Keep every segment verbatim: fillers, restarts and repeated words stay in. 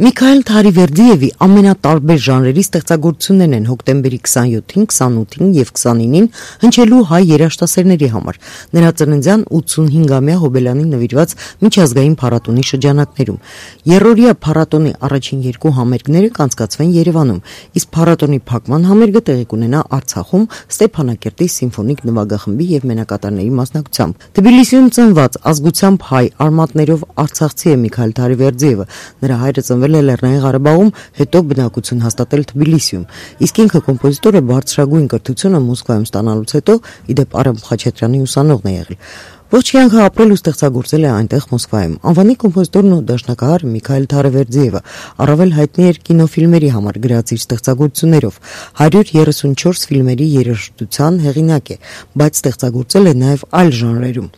Միքայել Թարիվերդիևի ամենատարբեր ժանրերի ստեղծագործություններն են հոկտեմբերի քսանյոթին, քսանութին եւ քսանինին հնչելու հայ երաժշտասերների համար նրա ծննդյան ութսունհինգամյա հոբելյանին նվիրված միջազգային փառատոնի շրջանակներում։ Երրորդյա փառատոնի առաջին երկու համերգները կանցկացվեն Երևանում, իսկ փառատոնի փակման համերգը տեղի կունենա Արցախում Ստեփանակերտի սիմֆոնիկ նվագախմբի եւ մենակատարների մասնակցությամբ։ Թբիլիսիում ծնված ազգությամբ հայ արմատներով արցախցի է Միքայել Թարիվերդիևը, նրա հայրը ծնվել Լեռնային Ղարաբաղում, հետո բնակություն հաստատել Թբիլիսիում, իսկ ինքը կոմպոզիտոր է բարձրագույն կրթությունը Մոսկվայում ստանալուց հետո իդեպ Արամ Խաչատրյանի ուսանողն է եղել։ Ողջ կյանքը ապրել ու ստեղծագործել է այնտեղ Մոսկվայում։ Անվանի կոմպոզիտորն ու դաշնակահար Միքայել Թարիվերդիևը առավել հայտնի էր կինոֆիլմերի համար գրած իր ստեղծագործություններով։ հարյուր երեսունչորս ֆիլմերի երաժշտության հեղինակ է, բայց ստեղծագործել է նաև այլ ժանրերում։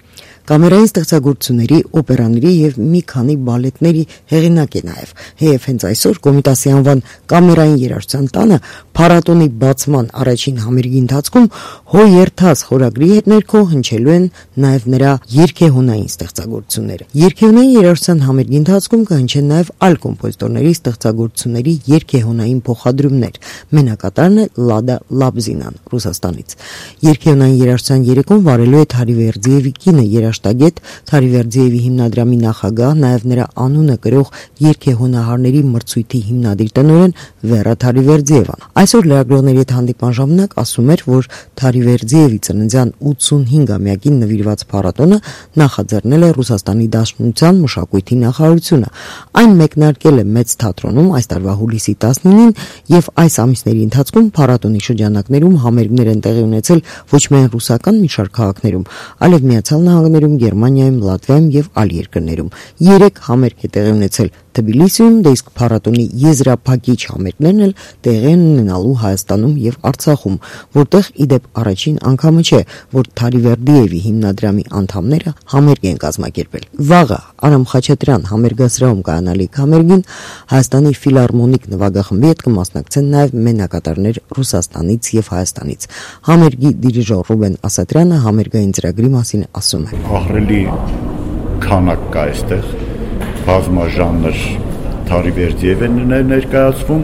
Կամերային ստեղծագործությունների, օպերաների եւ մի քանի բալետների հեղինակ է նաեւ։ Հեև հենց այսօր Կոմիտասի անվան կամերային երաժշտության տանը փառատոնի բացման առաջին համերգի ընթացքում Հո երթաց խորագրի հետ ներքո հնչելու են նաեւ նրա երգեհոնային ստեղծագործությունները։ Երգեհոնային երաժշտության համերգի ընթացքում կհնչեն նաեւ այլ կոմպոզիտորների ստեղծագործությունների երգեհոնային փոխադրումներ։ Մենակատարն է Լադա Լաբզինան Ռուսաստանից։ Երգեհոնային երաժշտության երեկոն վարելու է Թարիվերդիևի կինը երաժշտագետ, Թարիվերդիևի հիմնադրամի նախագահ, նաև նրա անունը կրող երգեհոնահարների մրցույթի հիմնադիր տնօրեն Վերա Թարիվերդիևան։ Այսօր լրագրողների հետ հանդիպման ժամանակ ասում էր, որ Թարիվերդիևի ծննդյան ութսունհինգամյակին նվիրված փառատոնը նախաձեռնել է Ռուսաստանի Դաշնության մշակույթի նախարարությունը։ Այն մեկնարկել է Մեծ թատրոնում այս տարվա հուլիսի տասնինին եւ այս ամիսների ընթացքում փառատոնի շրջանակներում համերգներ են տեղի ունեցել ոչ միայն ռուսական մի շարք քաղաքներում, այլև Միացյալ Նահանգներում, Գերմանիայում, Լատվիայում եւ այլ երկրներում։ Երեք համերգ է տեղի ունեցել Թբիլիսիում, դե իսկ փառատոնի եզրափակիչ համերգներն էլ տեղի են ունենալու Հայաստանում եւ Արցախում, որտեղ իդեպ առաջին անգամը չէ, որ Թարիվերդիևի հիմնադրամի անդամները համերգ են կազմակերպել։ Վաղը Արամ Խաչատրյան համերգասրահում կայանալիք համերգին Հայաստանի ֆիլհարմոնիկ նվագախմբի հետ կմասնակցեն նաեւ մենակատարներ Ռուսաստանից եւ Հայաստանից։ Համերգի դիրիժոր Ռուբեն Ասատրյանը համերգային ծրագրի մասին ասում է. Ահռելի քանակ կա այստեղ, բազմաժանր Թարիվերդիև է ներկայացվում,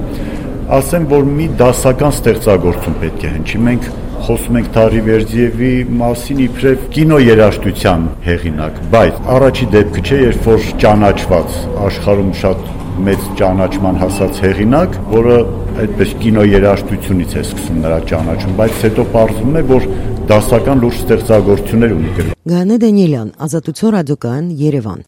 ասեմ, որ մի դասական ստեղծագործություն պետք է հնչի։ Մենք խոսում ենք Թարիվերդիևի մասին իբրև կինոերաժշտության հեղինակ, բայց առաջի դեպքը չէ, երբ որ ճանաչված աշխարհում շատ մեծ ճանաչման հասած հեղինակ, որը այդպես կինոերաժշտությունից է սկսում նրա ճանաչում, բայց հետո պարզվում է, որ դասական լուրջ ստեղծագործություններ ունի գրում։ Գայանե Դանիելյան, Ազատություն ռադիոկայան, Երևան։